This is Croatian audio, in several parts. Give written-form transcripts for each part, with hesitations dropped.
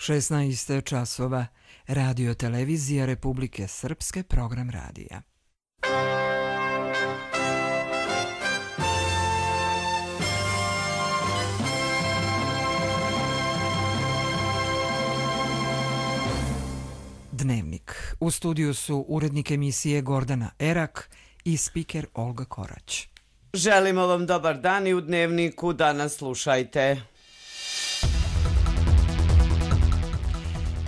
16 časova. Radio televizija Republike Srpske, program radija. Dnevnik. U studiju su urednik emisije Gordana Erak i spiker Olga Korać. Želimo vam dobar dan i u Dnevniku danas slušajte.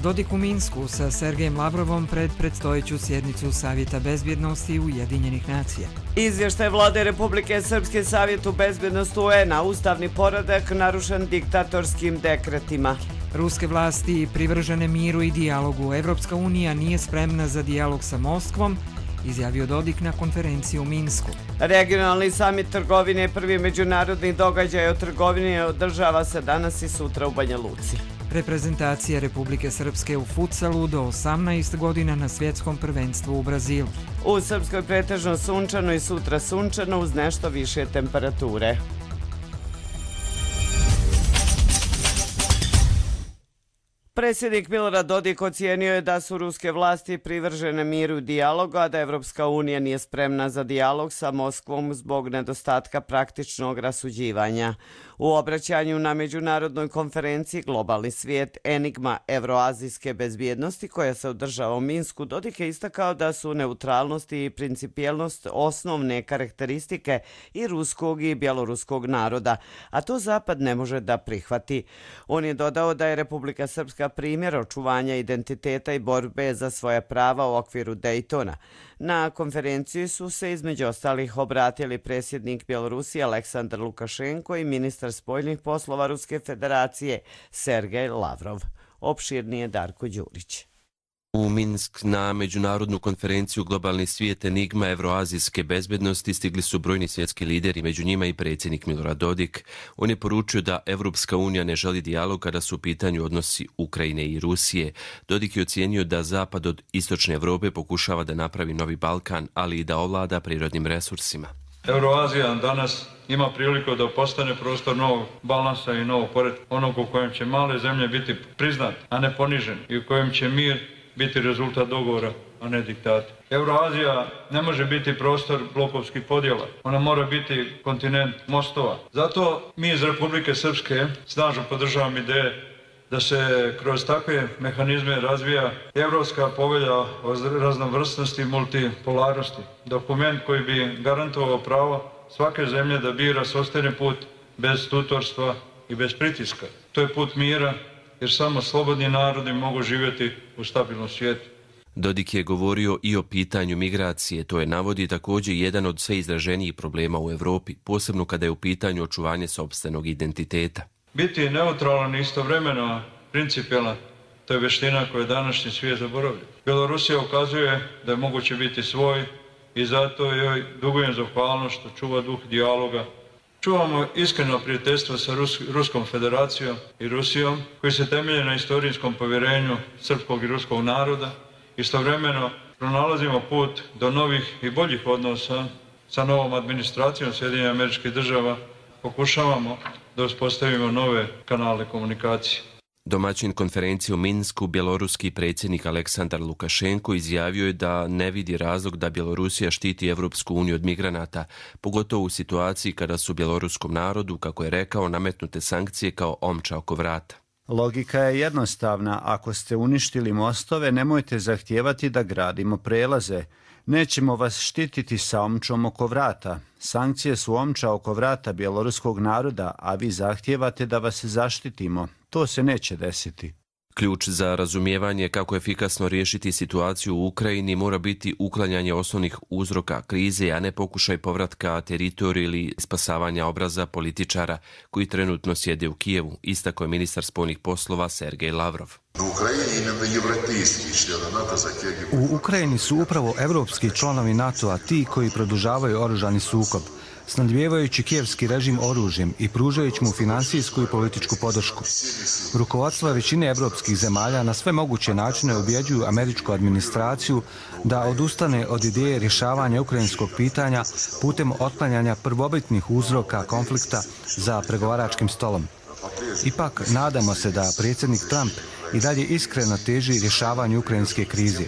Dodik u Minsku sa Sergejem Lavrovom pred predstojeću sjednicu Savjeta bezbjednosti Ujedinjenih nacija. Izvještaj Vlade Republike Srpske Savjetu bezbjednosti UN-a, ustavni poredak narušen diktatorskim dekretima. Ruske vlasti privržene miru i dijalogu. Evropska unija nije spremna za dijalog sa Moskvom, izjavio Dodik na konferenciji u Minsku. Regionalni samit trgovine, prvi međunarodni događaj o trgovini, održava se danas i sutra u Banja Luci. Reprezentacija Republike Srpske u futsalu do 18 godina na svjetskom prvenstvu u Brazilu. U Srpskoj pretežno sunčano i sutra sunčano uz nešto više temperature. Predsjednik Milorad Dodik ocijenio je da su ruske vlasti privržene miru i dijalogu, a da Evropska unija nije spremna za dijalog sa Moskvom zbog nedostatka praktičnog rasuđivanja. U obraćanju na međunarodnoj konferenciji Globalni svijet enigma evroazijske bezbjednosti koja se održava u Minsku, Dodik je istakao da su neutralnost i principijelnost osnovne karakteristike i ruskog i bjeloruskog naroda, a to Zapad ne može da prihvati. On je dodao da je Republika Srpska primjer očuvanja identiteta i borbe za svoja prava u okviru Dejtona. Na konferenciji su se između ostalih obratili predsjednik Bjelorusije Aleksandar Lukašenko i ministar spoljnih poslova Ruske federacije Sergej Lavrov. Opširnije Darko Đurić. U Minsk na međunarodnu konferenciju Globalni svijet enigma evroazijske bezbjednosti stigli su brojni svjetski lideri, među njima i predsjednik Milorad Dodik. On je poručio da Evropska unija ne želi dijalog kada su u pitanju odnosi Ukrajine i Rusije. Dodik je ocijenio da Zapad od istočne Evrope pokušava da napravi novi Balkan, ali i da ovlada prirodnim resursima. Euroazija danas ima priliku da postane prostor novog balansa i novog poretka, onog u kojem će male zemlje biti priznate, a ne ponižene, i u kojem će mir biti rezultat dogovora, a ne diktata. Euroazija ne može biti prostor blokovskih podjela. Ona mora biti kontinent mostova. Zato mi iz Republike Srpske snažno podržavamo ideje da se kroz takve mehanizme razvija Evropska povelja o raznovrsnosti i multipolarnosti. Dokument koji bi garantovao pravo svake zemlje da bira sopstveni put bez tutorstva i bez pritiska. To je put mira, jer samo slobodni narodi mogu živjeti u stabilnom svijetu. Dodik je govorio i o pitanju migracije. To je, navodi, također jedan od sve izraženijih problema u Europi, posebno kada je u pitanju očuvanje sopstvenog identiteta. Biti neutralan i istovremeno principijelan, to je vještina koju je današnji svijet zaboravio. Bjelorusija ukazuje da je moguće biti svoj i zato joj dugujem zahvalnost što čuva duh dijaloga. Čuvamo iskreno prijateljstvo sa Ruskom federacijom i Rusijom, koji se temelje na istorijskom povjerenju srpskog i ruskog naroda. Istovremeno pronalazimo put do novih i boljih odnosa sa novom administracijom Sjedinjenih Američkih Država. Pokušavamo da uspostavimo nove kanale komunikacije. Domaćin konferencije u Minsku, bjeloruski predsjednik Aleksandar Lukašenko, izjavio je da ne vidi razlog da Bjelorusija štiti Evropsku uniju od migranata, pogotovo u situaciji kada su bjeloruskom narodu, kako je rekao, nametnute sankcije kao omča oko vrata. Logika je jednostavna. Ako ste uništili mostove, nemojte zahtijevati da gradimo prelaze. Nećemo vas štititi sa omčom oko vrata. Sankcije su omča oko vrata bjeloruskog naroda, a vi zahtijevate da vas zaštitimo. To se neće desiti. Ključ za razumijevanje kako efikasno riješiti situaciju u Ukrajini mora biti uklanjanje osnovnih uzroka krize, a ne pokušaj povratka teritoriju ili spasavanja obraza političara koji trenutno sjede u Kijevu, istakao je ministar spoljnih poslova Sergej Lavrov. U Ukrajini su upravo evropski članovi NATO-a ti koji produžavaju oružani sukob, snadbijevajući kijevski režim oružjem i pružajući mu finansijsku i političku podršku. Rukovodstva većine evropskih zemalja na sve moguće načine ubjeđuju američku administraciju da odustane od ideje rješavanja ukrajinskog pitanja putem otklanjanja prvobitnih uzroka konflikta za pregovaračkim stolom. Ipak, nadamo se da predsjednik Trump i dalje iskreno teži rješavanju ukrajinske krize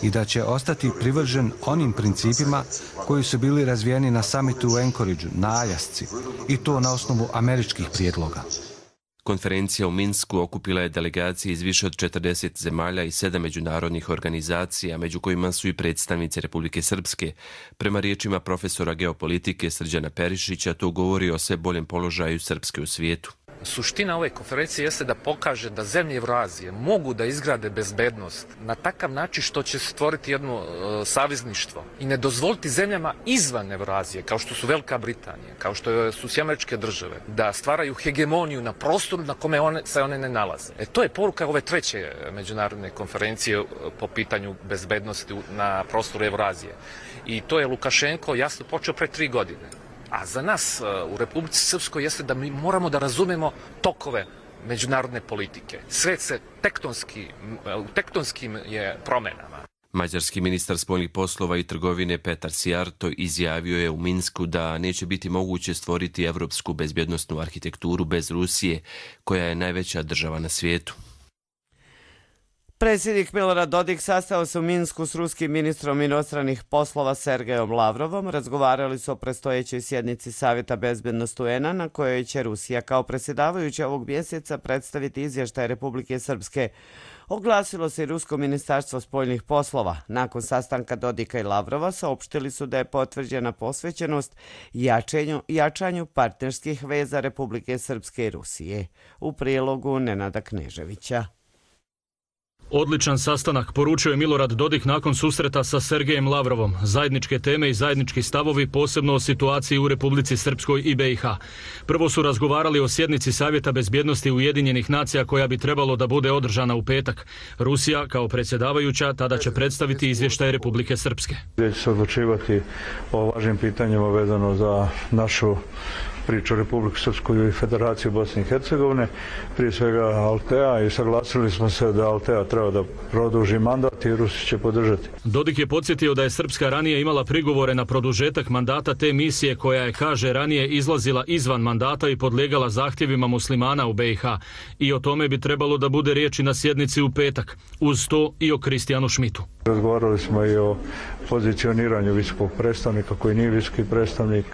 i da će ostati privržen onim principima koji su bili razvijeni na samitu u Anchorageu, na Aljasci, i to na osnovu američkih prijedloga. Konferencija u Minsku okupila je delegacije iz više od 40 zemalja i 7 međunarodnih organizacija, među kojima su i predstavnici Republike Srpske. Prema riječima profesora geopolitike Srđana Perišića, to govori o sve boljem položaju Srpske u svijetu. Suština ove konferencije jeste da pokaže da zemlje Evroazije mogu da izgrade bezbednost na takav način što će stvoriti jedno savezništvo i ne dozvoliti zemljama izvan Evroazije, kao što su Velika Britanija, kao što su Američke države, da stvaraju hegemoniju na prostoru na kome se one ne nalaze. To je poruka ove treće međunarodne konferencije po pitanju bezbednosti na prostoru Evroazije. I to je Lukašenko jasno počeo pre 3 godine. A za nas u Republici Srpskoj jeste da mi moramo da razumemo tokove međunarodne politike. Svet se u tektonskim je promenama. Mađarski ministar spoljnih poslova i trgovine Petar Sijarto izjavio je u Minsku da neće biti moguće stvoriti evropsku bezbjednosnu arhitekturu bez Rusije, koja je najveća država na svijetu. Predsjednik Milorad Dodik sastao se u Minsku s ruskim ministrom inostranih poslova Sergejom Lavrovom. Razgovarali su o predstojećoj sjednici Savjeta bezbednosti UN-a na kojoj će Rusija kao predsjedavajuća ovog mjeseca predstaviti izvještaj Republike Srpske. Oglasilo se i Rusko ministarstvo spoljnih poslova. Nakon sastanka Dodika i Lavrova saopštili su da je potvrđena posvećenost jačanju partnerskih veza Republike Srpske i Rusije. U prilogu Nenada Kneževića. Odličan sastanak, poručio je Milorad Dodik nakon susreta sa Sergejem Lavrovom. Zajedničke teme i zajednički stavovi, posebno o situaciji u Republici Srpskoj i BiH. Prvo su razgovarali o sjednici Savjeta bezbjednosti Ujedinjenih nacija koja bi trebalo da bude održana u petak. Rusija, kao predsjedavajuća, tada će predstaviti izvještaj Republike Srpske. Gdje će se odlučivati o važnim pitanjima vezano za našu priču Republiku Srpsku i Federaciju Bosne i Hercegovine, prije svega Altea, i saglasili smo se da Altea treba da produži mandat i Rusi će podržati. Dodik je podsjetio da je Srpska ranije imala prigovore na produžetak mandata te misije koja je, kaže, ranije izlazila izvan mandata i podlijegala zahtjevima muslimana u BiH. I o tome bi trebalo da bude riječi na sjednici u petak. Uz to i o Kristijanu Šmitu. Razgovarali smo i o pozicioniranju visokog predstavnika koji nije visoki predstavnik.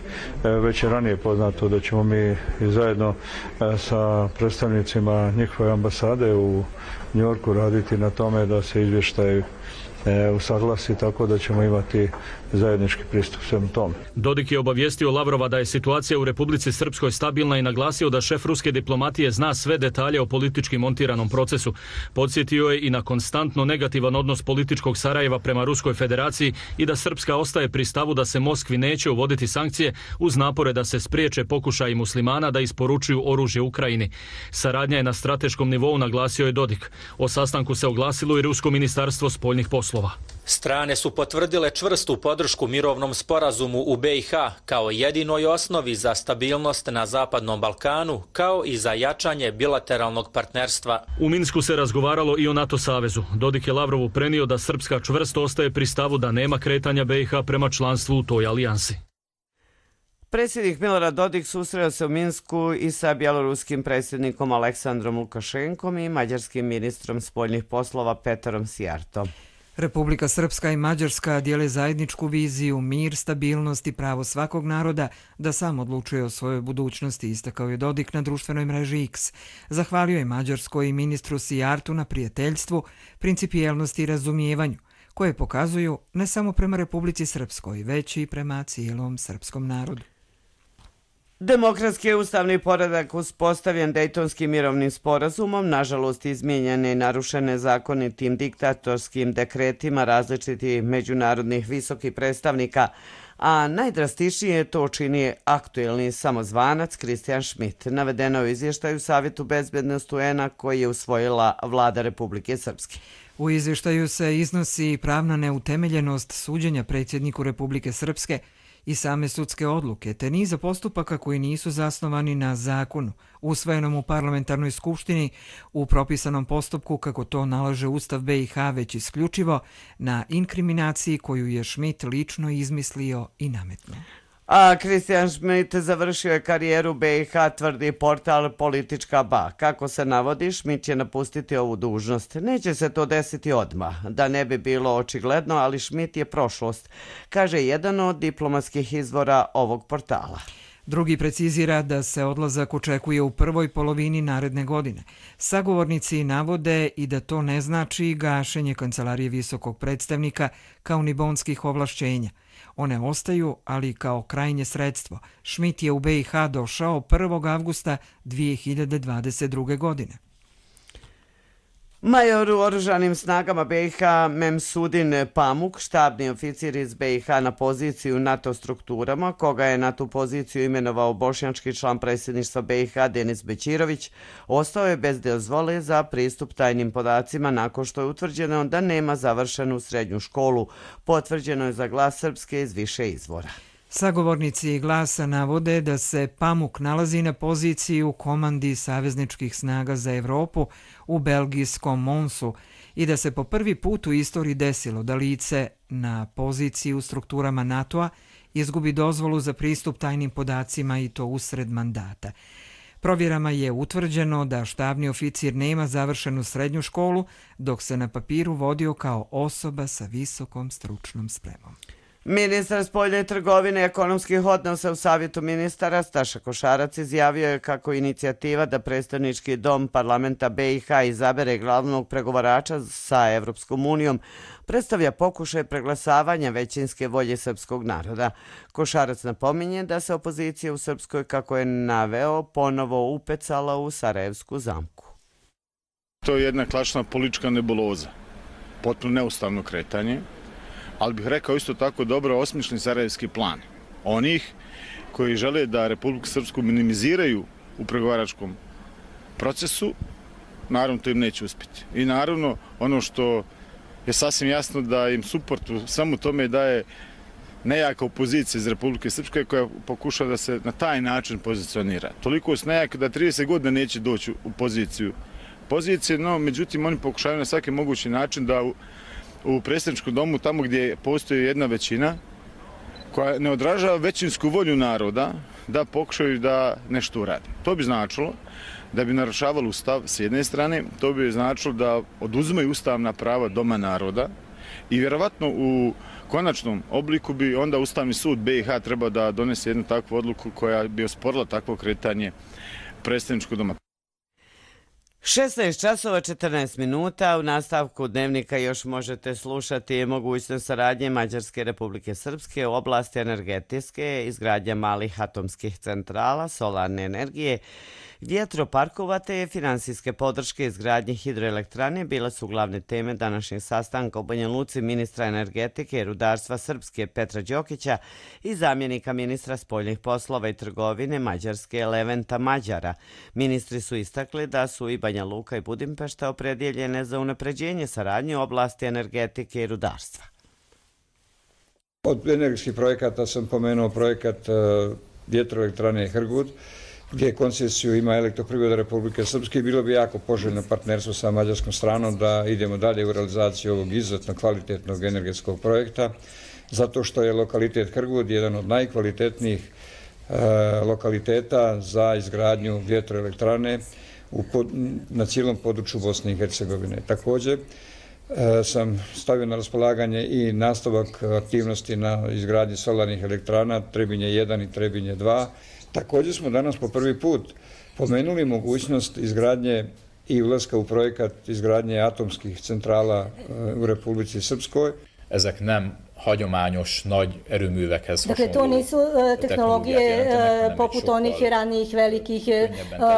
Već je ranije poznato da ćemo mi zajedno sa predstavnicima njihove ambasade u Njorku raditi na tome da se izvještaj usaglasi, tako da ćemo imati zajednički pristup svemu tome. Dodik je obavijestio Lavrova da je situacija u Republici Srpskoj stabilna i naglasio da šef ruske diplomatije zna sve detalje o politički montiranom procesu. Podsjetio je i na konstantno negativan odnos političkog Sarajeva prema Ruskoj federaciji i da Srpska ostaje pri stavu da se Moskvi neće uvoditi sankcije uz napore da se spriječe pokušaji muslimana da isporučuju oružje Ukrajini. Saradnja je na strateškom nivou, naglasio je Dodik. O sastanku se oglasilo i Rusko ministarstvo spoljnih poslova. Strane su potvrdile čvrstu podršku mirovnom sporazumu u BiH kao jedinoj osnovi za stabilnost na Zapadnom Balkanu, kao i za jačanje bilateralnog partnerstva. U Minsku se razgovaralo i o NATO savezu. Dodik je Lavrovu prenio da Srpska čvrsto ostaje pri stavu da nema kretanja BiH prema članstvu u toj alijansi. Predsjednik Milorad Dodik susreo se u Minsku i sa bjeloruskim predsjednikom Aleksandrom Lukašenkom i mađarskim ministrom spoljnih poslova Petarom Sijartom. Republika Srpska i Mađarska dijele zajedničku viziju, mir, stabilnost i pravo svakog naroda da sam odlučuje o svojoj budućnosti, istakao je Dodik na društvenoj mreži X. Zahvalio je Mađarskoj i ministru Sijartu na prijateljstvu, principijelnosti i razumijevanju, koje pokazuju ne samo prema Republici Srpskoj, već i prema cijelom srpskom narodu. Demokratski ustavni poredak uspostavljen Dejtonskim mirovnim sporazumom, nažalost izmijenjene i narušene zakonitim diktatorskim dekretima različitih međunarodnih visokih predstavnika, a najdrastičnije to čini aktuelni samozvanac Kristijan Šmit, navedeno u izvještaju Savjetu bezbednosti UN-a koji je usvojila vlada Republike Srpske. U izvještaju se iznosi pravna neutemeljenost suđenja predsjedniku Republike Srpske i same sudske odluke, te niza postupaka koji nisu zasnovani na zakonu, usvojenom u parlamentarnoj skupštini u propisanom postupku kako to nalaže Ustav BiH, već isključivo na inkriminaciji koju je Šmit lično izmislio i nametnuo. A Kristijan Schmidt završio je karijeru BiH, tvrdi portal Politička Ba. Kako se navodi, Schmidt će napustiti ovu dužnost. Neće se to desiti odmah, da ne bi bilo očigledno, ali Schmidt je prošlost, kaže jedan od diplomatskih izvora ovog portala. Drugi precizira da se odlazak očekuje u prvoj polovini naredne godine. Sagovornici navode i da to ne znači gašenje Kancelarije visokog predstavnika kao ni bonskih ovlašćenja. One ostaju, ali kao krajnje sredstvo. Schmidt je u BiH došao 1. avgusta 2022. godine. Major u oružanim snagama BiH Memsudin Pamuk, štabni oficir iz BiH na poziciju NATO strukturama, koga je na tu poziciju imenovao bošnjački član predsjedništva BiH Denis Bećirović, ostao je bez dozvole za pristup tajnim podacima nakon što je utvrđeno da nema završenu srednju školu. Potvrđeno je za Glas Srpske iz više izvora. Sagovornici Glasa navode da se Pamuk nalazi na poziciji u komandi savezničkih snaga za Evropu u belgijskom Monsu i da se po prvi put u istoriji desilo da lice na poziciji u strukturama NATO-a izgubi dozvolu za pristup tajnim podacima i to usred mandata. Provjerama je utvrđeno da štabni oficir nema završenu srednju školu, dok se na papiru vodio kao osoba sa visokom stručnom spremom. Ministar spoljne trgovine i ekonomskih odnosa u Savjetu ministara Staša Košarac izjavio je kako inicijativa da predstavnički dom parlamenta BiH izabere glavnog pregovarača sa Evropskom unijom predstavlja pokušaj preglasavanja većinske volje srpskog naroda. Košarac napominje da se opozicija u Srpskoj, kako je naveo, ponovo upecala u Sarajevsku zamku. To je jedna klasična politička nebuloza, potpuno neustavno kretanje, ali bih rekao isto tako dobro osmišljen sarajevski plan onih koji žele da Republiku Srpsku minimiziraju u pregovaračkom procesu. Naravno, to im neće uspjeti. I naravno, ono što je sasvim jasno da im suport u svemu tome daje nejaka opozicija iz Republike Srpske koja pokušava da se na taj način pozicionira. Toliko su nejaka da 30 godina neće doći u pozicije, no međutim oni pokušavaju na svaki mogući način da u predsjedničkom domu, tamo gdje postoji jedna većina koja ne odražava većinsku volju naroda, da pokušaju da nešto uradi. To bi značilo da bi narušavalo ustav s jedne strane, to bi značilo da oduzimaju ustavna prava doma naroda i vjerovatno u konačnom obliku bi onda Ustavni sud BiH trebao da donese jednu takvu odluku koja bi osporila takvo kretanje predsjedničkog doma. 16 časova 14 minuta. U nastavku dnevnika još možete slušati mogućnost saradnje Mađarske Republike Srpske u oblasti energetike, izgradnja malih atomskih centrala, solarne energije, vjetroparkova te finansijske podrške izgradnje hidroelektrane bile su glavne teme današnjeg sastanka u Banja Luci ministra energetike i rudarstva Srpske Petra Đokića i zamjenika ministra spoljnih poslova i trgovine Mađarske Leventa Mađara. Ministri su istakli da su i Banja Luka i Budimpešta opredjeljene za unapređenje saradnje u oblasti energetike i rudarstva. Od energetskih projekata sam pomenuo projekat vjetroelektrane Hrgut, gdje koncesiju ima Elektroprivreda Republike Srpske i bilo bi jako poželjno partnerstvo sa mađarskom stranom da idemo dalje u realizaciju ovog izuzetno kvalitetnog energetskog projekta, zato što je lokalitet Hrgut jedan od najkvalitetnijih lokaliteta za izgradnju vjetroelektrane na cijelom području Bosne i Hercegovine. Također sam stavio na raspolaganje i nastavak aktivnosti na izgradnji solarnih elektrana Trebinje 1 i Trebinje 2. Također smo danas po prvi put pomenuli mogućnost izgradnje i ulaska u projekat izgradnje atomskih centrala u Republici Srpskoj. Ezek nem hagyományos nagy erőművekhez Dakle, to nisu tehnologije poput onih ranijih velikih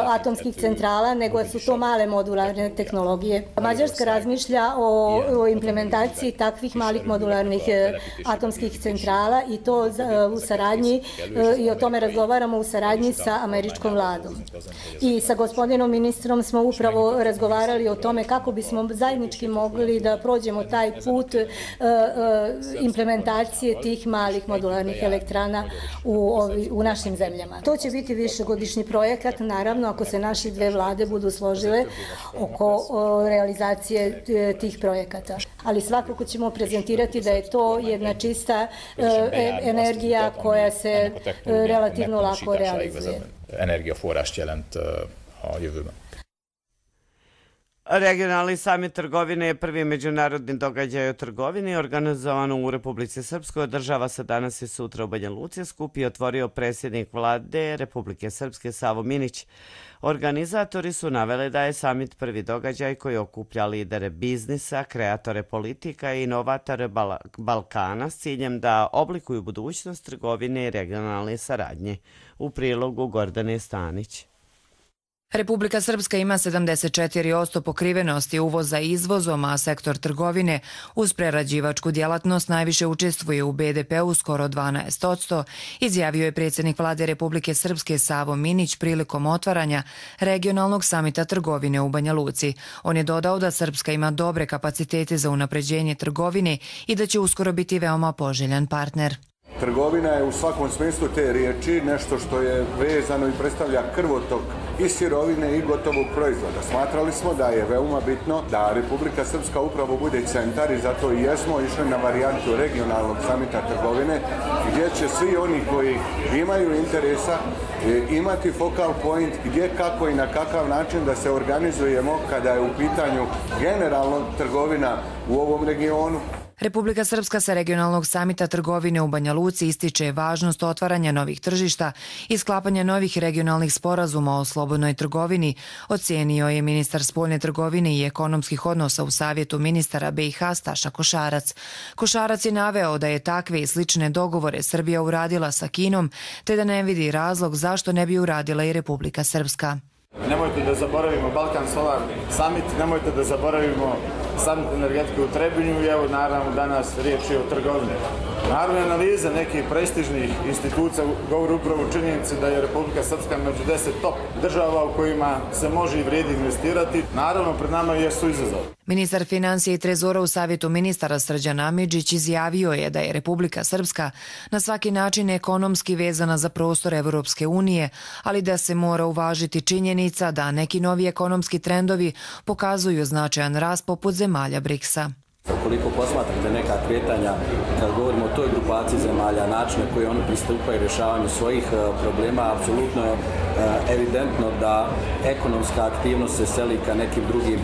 atomskih centrala, nego su to male modularne tehnologije. Mađarska razmišlja o implementaciji takvih malih modularnih atomskih centrala i to u saradnji, i o tome razgovaramo u saradnji sa američkom vladom. I sa gospodinom ministrom smo upravo razgovarali o tome kako bismo zajednički mogli da prođemo taj put implementacije implementacije tih malih modularnih elektrana u našim zemljama. To će biti višegodišnji projekat, naravno, ako se naše dve vlade budu složile oko realizacije tih projekata. Ali svakako ćemo prezentirati da je to jedna čista energija koja se relativno lako realizuje. Energiaforrást jelent a jövőben. Regionalni samit trgovine je prvi međunarodni događaj o trgovini organizovan u Republici Srpskoj. Održava se danas i sutra u Banja Luci. Skup je otvorio predsjednik vlade Republike Srpske Savo Minić. Organizatori su naveli da je samit prvi događaj koji okuplja lidere biznisa, kreatore politika i inovatore Balkana s ciljem da oblikuju budućnost trgovine i regionalne saradnje. U prilogu Gordane Stanić. Republika Srpska ima 74% pokrivenosti uvoza i izvozom, a sektor trgovine uz prerađivačku djelatnost najviše učestvuje u BDP-u skoro 12%, izjavio je predsjednik vlade Republike Srpske Savo Minić prilikom otvaranja regionalnog samita trgovine u Banja Luci. On je dodao da Srpska ima dobre kapacitete za unapređenje trgovine i da će uskoro biti veoma poželjan partner. Trgovina je u svakom smislu te riječi nešto što je vezano i predstavlja krvotok i sirovine i gotovog proizvoda. Smatrali smo da je veoma bitno da Republika Srpska upravo bude centar i zato i jesmo išli na varijantu regionalnog samita trgovine gdje će svi oni koji imaju interesa imati focal point gdje, kako i na kakav način da se organizujemo kada je u pitanju generalno trgovina u ovom regionu. Republika Srpska sa regionalnog samita trgovine u Banja Luci ističe važnost otvaranja novih tržišta i sklapanja novih regionalnih sporazuma o slobodnoj trgovini, ocijenio je ministar spoljne trgovine i ekonomskih odnosa u Savjetu ministara BiH Staša Košarac. Košarac je naveo da je takve i slične dogovore Srbija uradila sa Kinom, te da ne vidi razlog zašto ne bi uradila i Republika Srpska. Nemojte da zaboravimo Balkan Solar Summit, nemojte da zaboravimo Summit energetike u Trebinju i evo naravno danas riječ je o trgovini. Naravno analiza nekih prestižnih institucija govori upravo činjenice da je Republika Srpska među 10 top država u kojima se može i vrijedi investirati. Naravno pred nama jesu izazovi. Ministar financija i trezora u Savjetu ministara Srđan Amidžić izjavio je da je Republika Srpska na svaki način ekonomski vezana za prostor Evropske unije, ali da se mora uvažiti činjenica da neki novi ekonomski trendovi pokazuju značajan rast poput zemalja BRICS-a. Ukoliko posmatrate neka kretanja, kad govorimo o toj grupaciji zemalja, načine koji oni pristupaju rješavanju svojih problema, apsolutno je evidentno da ekonomska aktivnost se seli ka nekim drugim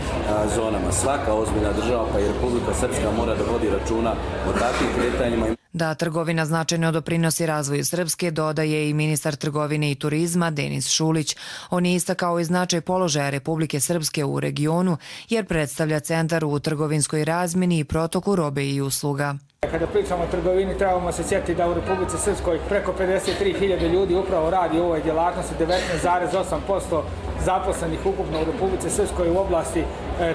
zonama. Svaka ozbiljna država, pa i Republika Srpska, mora da vodi računa o takvim kretanjima. Da trgovina značajno doprinosi razvoju Srpske, dodaje i ministar trgovine i turizma Denis Šulić. On je istakao i značaj položaja Republike Srpske u regionu jer predstavlja centar u trgovinskoj razmjeni i protoku robe i usluga. Kada pričamo o trgovini, trebamo se sjetiti da u Republici Srpskoj preko 53.000 ljudi upravo radi u ovoj djelatnosti, 19,8% zaposlenih ukupno u Republici Srpskoj u oblasti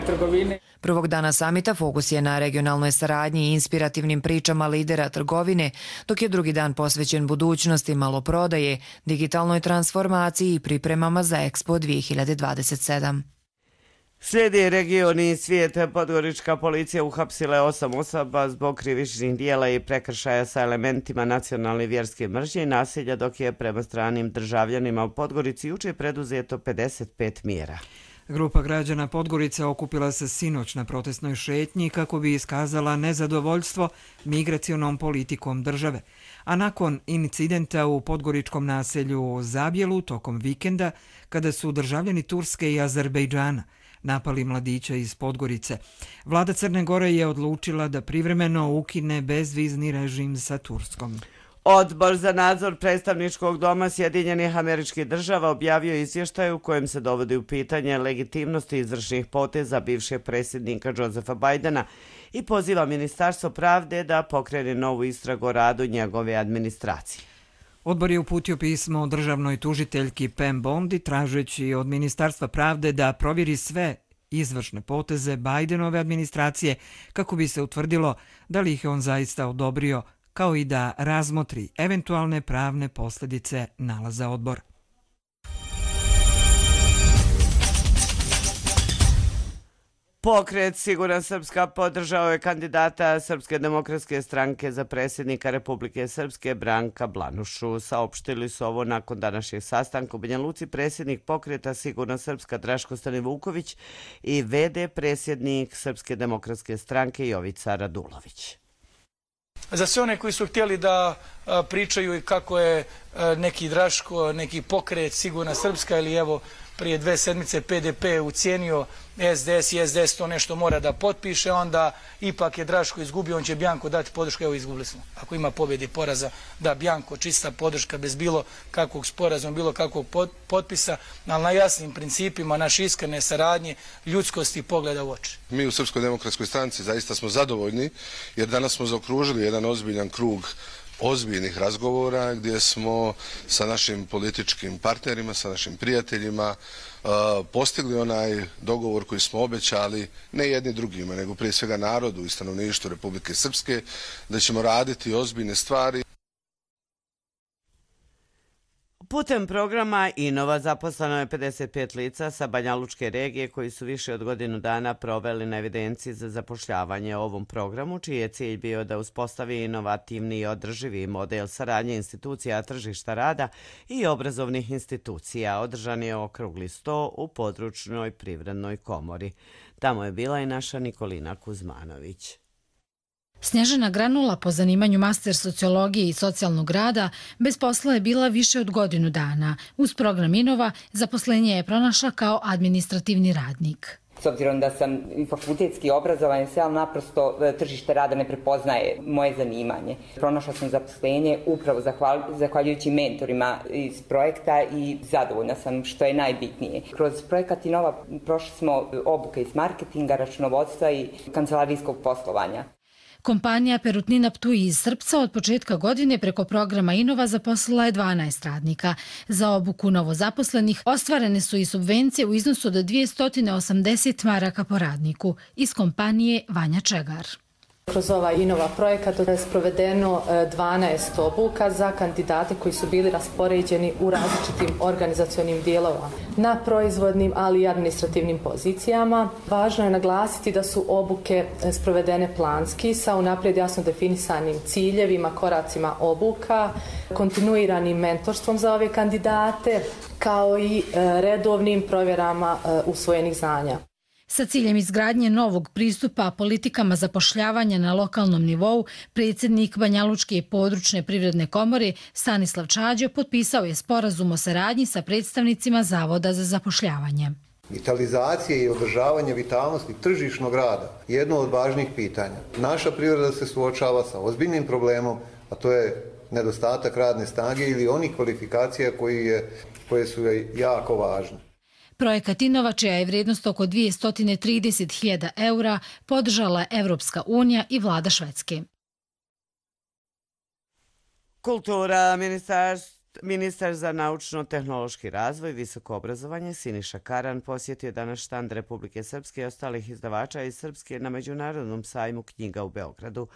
trgovine. Prvog dana samita fokus je na regionalnoj saradnji i inspirativnim pričama lidera trgovine, dok je drugi dan posvećen budućnosti maloprodaje, digitalnoj transformaciji i pripremama za Expo 2027. Slijedi region i svijet. Podgorička policija uhapsila je 8 osoba zbog krivičnih dijela i prekršaja sa elementima nacionalne vjerske mržnje i nasilja, dok je prema stranim državljanima u Podgorici jučer preduzeto 55 mjera. Grupa građana Podgorice okupila se sinoć na protestnoj šetnji kako bi iskazala nezadovoljstvo migracionom politikom države. A nakon incidenta u podgoričkom naselju Zabjelu tokom vikenda, kada su državljani Turske i Azerbejdžana napali mladića iz Podgorice, vlada Crne Gore je odlučila da privremeno ukine bezvizni režim sa Turskom. Odbor za nadzor predstavničkog doma Sjedinjenih Američkih Država objavio izvještaj u kojem se dovodi u pitanje legitimnosti izvršnih poteza bivšeg predsjednika Josepha Bidena i poziva Ministarstvo pravde da pokrene novu istragu o radu njegove administracije. Odbor je uputio pismo državnoj tužiteljki Pam Bondi tražeći od Ministarstva pravde da provjeri sve izvršne poteze Bidenove administracije kako bi se utvrdilo da li ih je on zaista odobrio, kao i da razmotri eventualne pravne posljedice nalaza odbora. Pokret Sigurna Srpska podržao je kandidata Srpske demokratske stranke za predsjednika Republike Srpske Branka Blanušu. Saopštili su ovo nakon današnjeg sastanka u Banja Luci predsjednik pokreta Sigurna Srpska Draško Stanivuković i VD predsjednik Srpske demokratske stranke Jovica Radulović. Za sve one koji su htjeli da pričaju i kako je neki Draško, neki pokret Sigurna Srpska ili evo prije 2 sedmice PDP ucijenio SDS i SDS to nešto mora da potpiše, onda ipak je Draško izgubio, on će Bjanko dati podršku, evo izgubili smo. Ako ima pobjede i poraza, da Bjanko čista podrška bez bilo kakvog sporazuma, bilo kakvog potpisa, ali na jasnim principima naše iskrene saradnje, ljudskosti i pogleda u oči. Mi u Srpskoj demokratskoj stranci zaista smo zadovoljni jer danas smo zaokružili jedan ozbiljan krug ozbiljnih razgovora gdje smo sa našim političkim partnerima, sa našim prijateljima postigli onaj dogovor koji smo obećali ne jedni drugima, nego prije svega narodu i stanovništvu Republike Srpske, da ćemo raditi ozbiljne stvari. Putem programa Inova zaposleno je 55 lica sa Banjalučke regije koji su više od godinu dana proveli na evidenciji za zapošljavanje ovom programu, čiji je cilj bio da uspostavi inovativni i održivi model saradnje institucija tržišta rada i obrazovnih institucija. Održan je okrugli sto u područnoj privrednoj komori. Tamo je bila i naša Nikolina Kuzmanović. Snježana Granula, po zanimanju master sociologije i socijalnog rada, bez posla je bila više od godinu dana. Uz program Inova zaposlenje je pronašla kao administrativni radnik. S obzirom da sam fakultetski obrazovan, ali naprosto tržište rada ne prepoznaje moje zanimanje. Pronašla sam zaposlenje upravo zahvaljujući mentorima iz projekta i zadovoljna sam, što je najbitnije. Kroz projekat Inova prošli smo obuke iz marketinga, računovodstva i kancelarijskog poslovanja. Kompanija Perutnina Ptuj iz Srpca od početka godine preko programa Inova zaposlila je 12 radnika. Za obuku novozaposlenih ostvarene su i subvencije u iznosu od 280 maraka po radniku iz kompanije Vanja Čegar. Kroz ovaj Inova projekat je sprovedeno 12 obuka za kandidate koji su bili raspoređeni u različitim organizacionim dijelovima na proizvodnim, ali i administrativnim pozicijama. Važno je naglasiti da su obuke sprovedene planski sa unaprijed jasno definisanim ciljevima, koracima obuka, kontinuiranim mentorstvom za ove kandidate, kao i redovnim provjerama usvojenih znanja. Sa ciljem izgradnje novog pristupa politikama zapošljavanja na lokalnom nivou, predsjednik Banjalučke područne privredne komore Stanislav Čađo potpisao je sporazum o saradnji sa predstavnicima Zavoda za zapošljavanje. Vitalizacija i održavanje vitalnosti tržišnog rada je jedno od važnih pitanja. Naša privreda se suočava sa ozbiljnim problemom, a to je nedostatak radne snage ili onih kvalifikacija koje su jako važne. Projekat Inova, čija je vrijednost oko 230.000 eura, podržala Evropska unija i vlada Švedske. Kultura, ministar za naučno-tehnološki razvoj i visoko obrazovanje Siniša Karan posjetio danas štand Republike Srpske i ostalih izdavača iz Srpske na Međunarodnom sajmu knjiga u Beogradu.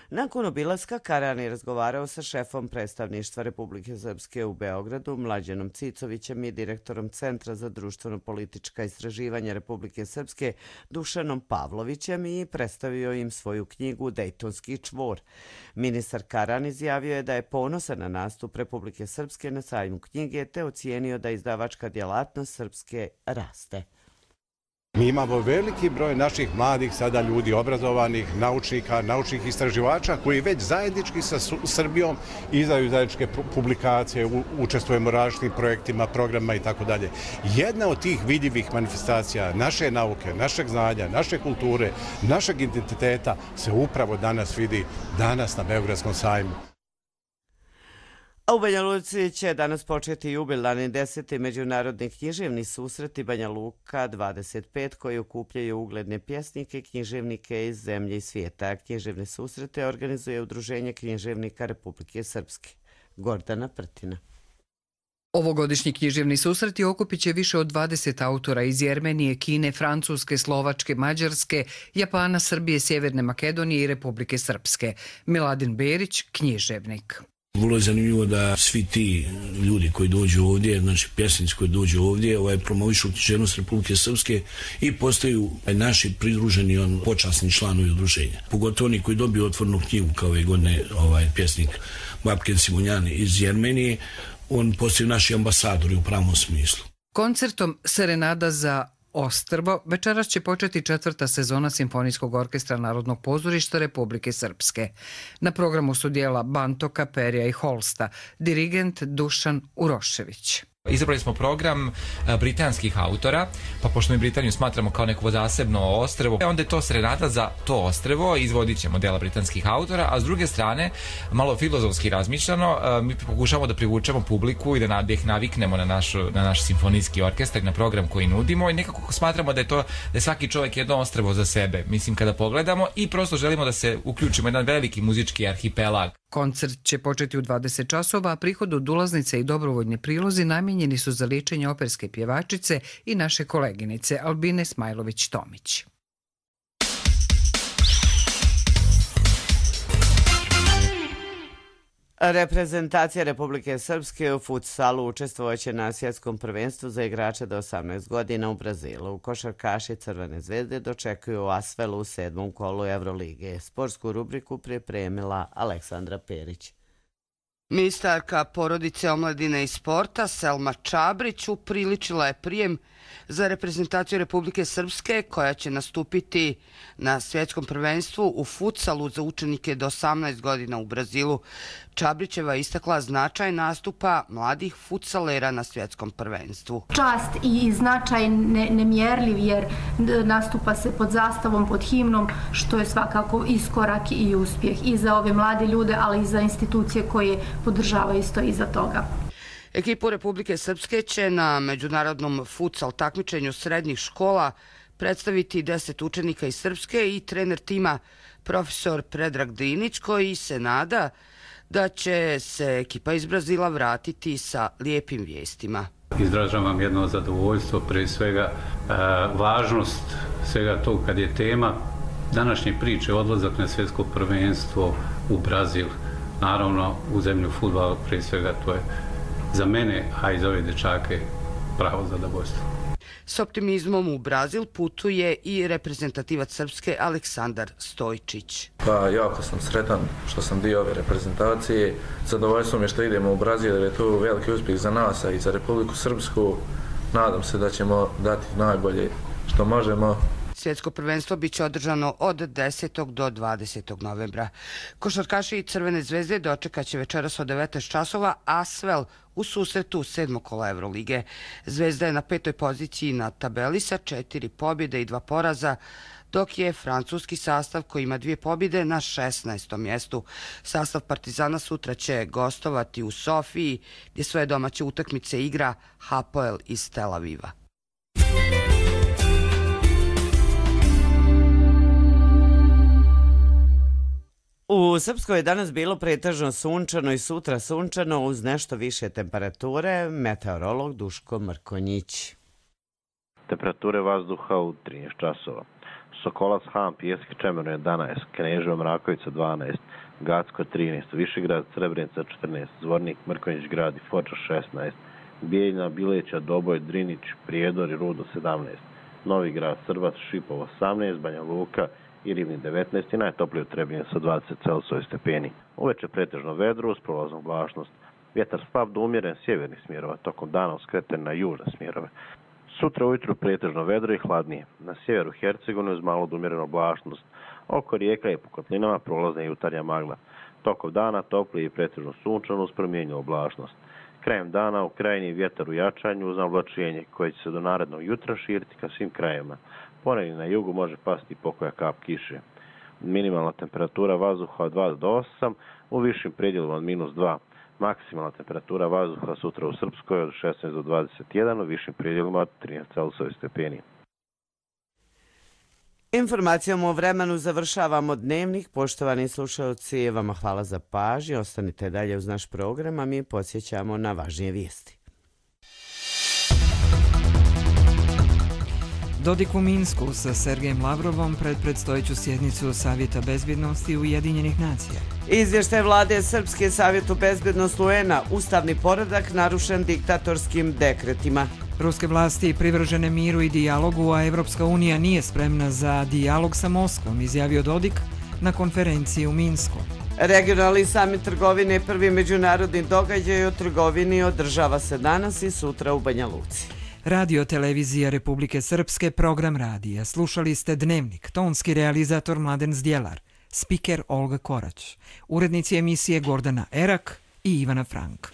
Nakon obilaska Karan je razgovarao sa šefom predstavništva Republike Srpske u Beogradu, Mlađanom Cicovićem i direktorom Centra za društveno-politička istraživanja Republike Srpske, Dušanom Pavlovićem, i predstavio im svoju knjigu Dejtonski čvor. Ministar Karan izjavio je da je ponosan na nastup Republike Srpske na sajmu knjige te ocijenio da izdavačka djelatnost Srpske raste. Mi imamo veliki broj naših mladih sada ljudi, obrazovanih, naučnika, naučnih istraživača koji već zajednički sa Srbijom izdaju zajedničke publikacije, učestvujemo u različitim projektima, programima i tako dalje. Jedna od tih vidljivih manifestacija naše nauke, našeg znanja, naše kulture, našeg identiteta se upravo danas vidi danas na Beogradskom sajmu. A u Banja Luci će danas početi jubilarni 10. međunarodni književni susreti Banja Luka 25 koji okupljaju ugledne pjesnike i književnike iz zemlje i svijeta. Književne susrete organizuje Udruženje književnika Republike Srpske. Gordana Prtina. Ovogodišnji književni susreti okupit će više od 20 autora iz Jermenije, Kine, Francuske, Slovačke, Mađarske, Japana, Srbije, Sjeverne Makedonije i Republike Srpske. Miladin Berić, književnik. Vrlo je zanimljivo da svi ti ljudi koji dođu ovdje, znači pjesnici koji dođu ovdje, promovišu književnost Republike Srpske i postaju naši pridruženi počasni članovi udruženja. Pogotovo oni koji dobiju otvornu knjigu kao ove godine pjesnik Babken Simonjan iz Jermenije, on postaju naši ambasadori u pravom smislu. Koncertom Serenada za Ostrvo večeras će početi 4. sezona Simfonijskog orkestra Narodnog pozorišta Republike Srpske. Na programu su dijela Bantoka, Perija i Holsta, dirigent Dušan Urošević. Izabrali smo program britanskih autora, pa pošto mi Britaniju smatramo kao neko zasebno ostrvo, onda je to Serenada za to ostrvo, izvodit ćemo dela britanskih autora, a s druge strane, malo filozofski razmišljano, mi pokušamo da privučemo publiku i da ih naviknemo na naš simfonijski orkestar, na program koji nudimo i nekako smatramo da je svaki čovjek jedno ostrvo za sebe, mislim kada pogledamo, i prosto želimo da se uključimo jedan veliki muzički arhipelag. Koncert će početi u 20 časova, a prihod od ulaznice i dobrovoljni prilozi namijenjeni su za liječenje operske pjevačice i naše koleginice Albine Smajlović-Tomić. Reprezentacija Republike Srpske u futsalu učestvovaće na svjetskom prvenstvu za igrače do 18 godina u Brazilu. Košarkaši Crvene zvezde dočekuju Asvelu u 7. kolu Evrolige. Sportsku rubriku pripremila Aleksandra Perić. Ministarka porodice, omladine i sporta Selma Čabrić upriličila je prijem za reprezentaciju Republike Srpske koja će nastupiti na svjetskom prvenstvu u futsalu za učenike do 18 godina u Brazilu. Čabrićeva je istakla značaj nastupa mladih futsalera na svjetskom prvenstvu. Čast i značaj nemjerljiv jer nastupa se pod zastavom, pod himnom, što je svakako iskorak i uspjeh i za ove mlade ljude, ali i za institucije koje podržavaju isto iza toga. Ekipu Republike Srpske će na međunarodnom futsal takmičenju srednjih škola predstaviti 10 učenika iz Srpske i trener tima profesor Predrag Dinić, koji se nada da će se ekipa iz Brazila vratiti sa lijepim vijestima. Izražavam jedno zadovoljstvo, prije svega važnost svega tog kad je tema današnje priče odlazak na svjetsko prvenstvo u Brazil. Naravno, u zemlju fudbala, prije svega to je za mene, a i za ove dečake, pravo zadovoljstvo. S optimizmom u Brazil putuje i reprezentativac Srpske Aleksandar Stojčić. Pa jako sam sretan što sam dio ove reprezentacije. Zadovoljstvo mi je što idemo u Brazil jer je to veliki uspjeh za nas i za Republiku Srpsku. Nadam se da ćemo dati najbolje što možemo. Svjetsko prvenstvo biće održano od 10. do 20. novembra. Košarkaši Crvene zvezde dočekaće večeras od 19 časova Asvel u susretu 7. kola Evrolige. Zvezda je na 5. poziciji na tabeli sa 4 pobjede i 2 poraza, dok je francuski sastav koji ima 2 pobjede na 16. mjestu. Sastav Partizana sutra će gostovati u Sofiji, gdje svoje domaće utakmice igra Hapoel iz Tel Aviva. U Srpskoj je danas bilo pretežno sunčano i sutra sunčano uz nešto više temperature. Meteorolog Duško Mrkonjić. Temperature vazduha u 13 časova. Sokolac, Han, Pijeski, Čemerno 11, Kneževo, Mrakovica 12, Gacko 13, Višegrad, Srebrenica 14, Zvornik, Mrkonjić grad i Foča 16, Bijeljina, Bileća, Doboj, Drinić, Prijedor i Rudo 17, Novi grad, Srbac, Šipovo 18, Banja Luka i Rivni 19 i najtoplije u Trebinju sa 20 Celsijusa stepeni. Uveče pretežno vedro uz prolaznu oblačnost. Vjetar slab do umjeren sjevernih smjerova, tokom dana uskreten na južne smjerove. Sutra ujutru pretežno vedro i hladnije. Na sjeveru Hercegovine uz malo do umjerenu oblačnost. Oko rijeka i po kotlinama prolazna i jutarnja magla. Tokom dana toplije i pretežno sunčano uz promijenjenu oblačnost. Krajem dana u krajini vjetar u jačanju uz oblačenje koje će se do narednog jutra širiti ka svim krajevima. Ponegdje na jugu može pasti pokoja kap kiše. Minimalna temperatura vazduha od 2 do 8, u višim predjelima od -2. Maksimalna temperatura vazduha sutra u Srpskoj od 16 do 21, u višim predjelima od 13 Celsijusa stepeni. Informacijom o vremenu završavamo dnevnik. Poštovani slušalci, vama hvala za pažnju. Ostanite dalje uz naš program, a mi podsjećamo na važnije vijesti. Dodik u Minsku sa Sergejem Lavrovom pred predstojeću sjednicu Savjeta bezbjednosti Ujedinjenih nacija. Izvještaj vlade Srpske Savjetu bezbjednosti UN-a, ustavni poredak narušen diktatorskim dekretima. Ruske vlasti privržene miru i dijalogu, a Evropska unija nije spremna za dijalog sa Moskvom, izjavio Dodik na konferenciji u Minsku. Regionalni samit trgovine, prvi međunarodni događaj o trgovini, održava se danas i sutra u Banja Luci. Radio televizija Republike Srpske, program radija. Slušali ste Dnevnik, tonski realizator Mladen Zdjelar, spiker Olga Korać, urednici emisije Gordana Erak i Ivana Frank.